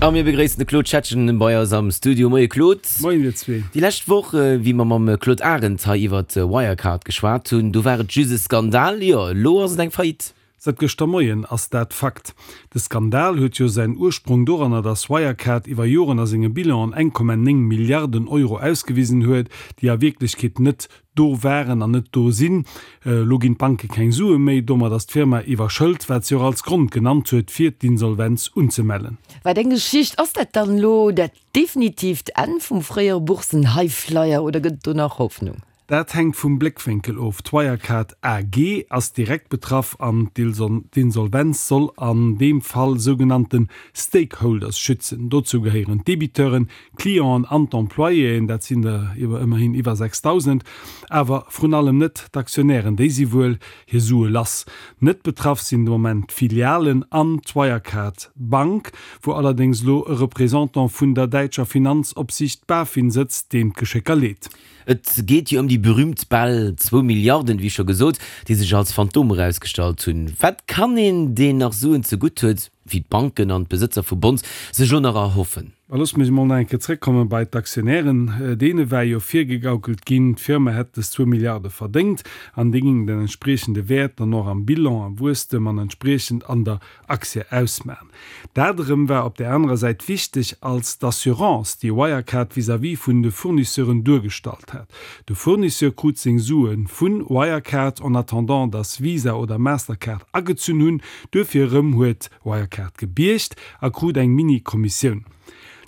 A mir begréissen de Claude Schettgen bei eis am Studio. Moie Claude. Moien dir zwee. Déi lescht Woch, wéi mer mam Claude Arend hei iwwert Wirecard geschwat hunn, do war et just e Skandal. Jo, elo ass et eng Faillite. Säit gëschter Moien ass dat Fakt. De Skandal huet jo säin Ursprong doranner, datt Wirecard iwwer Joren a senge Bilanen 1,9 Milliarden Euro ausgewisen huet, déi a Wierklechkeet net do waren an net do sinn. Elo ginn d'Banke keng Sue méi, domat ass d'Firma iwwerschëlt, wat si och als Grond genannt huet, fir d'Insolvenz unzemellen. Wat eng Geschicht! Ass dat dann elo dat definitiivt Enn vum fréiere Boursen-Highflyer oder gëtt et do nach Hoffnung? Dat hänkt vum Bléckwénkel of. D'Wirecard AG ass direkt betraff an d'Insolvenz soll an deem Fall sougenannte Stakeholders schützen. Dozou gehéieren d'Debiteuren, d'Clienten an d'Employéen, dat sinn der ëmmerhin iwwer 6.000, awer vrun allem net d'Aktionären, déi si wuel hir Sue lass. Net betraff sinn de Moment d'Filialen an d'Wirecard Bank, wou allerdéngs elo e Représentant vun der däitscher Finanzopsiicht BaFin sëtzt, deen d'Geschécker leet. Et geet jo ëm déi berühmt bal zwou Milliarden, wéi scho gesot, déi sech als Phantom erausgestallt hunn. Wat kann een, deen nach Suen zegutt huet, wéi d'Banken an d'Besëtzer vu Bonds, sech elo nach erhoffen? Mä loosse mir emol nach eng Kéier zrëckkomme bei d'Aktionären. Deene war jo virgegaukelt ginn, d'Firma hätt dës zwou Milliarde verdéngt an déi géing den entspriechende Wäert dann och am Bilan, am Wuesstem an entspriechend an der Aktie ausmachen. Dat erëm war op där anerer Säit wichteg als d'Assurance, déi Wirecard vis-à-vis vun de Fournisseuren duergestallt hat. De Fournisseur krut seng Sue vu Wirecard en attendant dass Visa oder Mastercard agezunn hunn. Duerfir erëm huet Wirecard gebiergt a krut eng Mini-Kommissioun.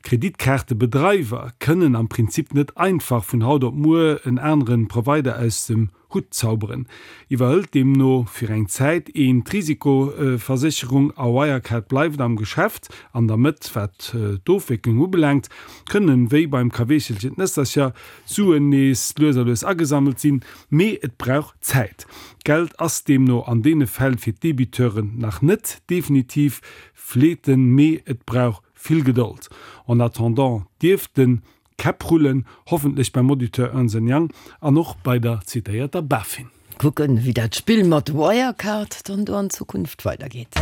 D'Kreditkaartebedreiwer kënnen am Prinzip net einfach vun haut op muer en anere Provider aus dem Hutt zauberen. Iwwerhëlt deemno fir eng Zäit een d'Risikoversécherung a Wirecard bleift am Geschäft. An der Mëtt, wat d'Ofwécklung ubelaangt, kënnen, wéi beim Kaweechelchen d'Nëssercher, d'Suen nees lues a lues agesammelt sinn, mee et brauch Zäit. D'Geld ass deemno an deene Fäll fir d'Debiteuren nach net definitiv fleeten, mee et brauch vill Gedold. En attendant dierften Käpp rullen, hoffentlech beim Auditeur Ernst Young an och bei der zitéierter BaFin. Kucken, wéi dat Spill mat Wirecard dann do an Zukunft weidergeet.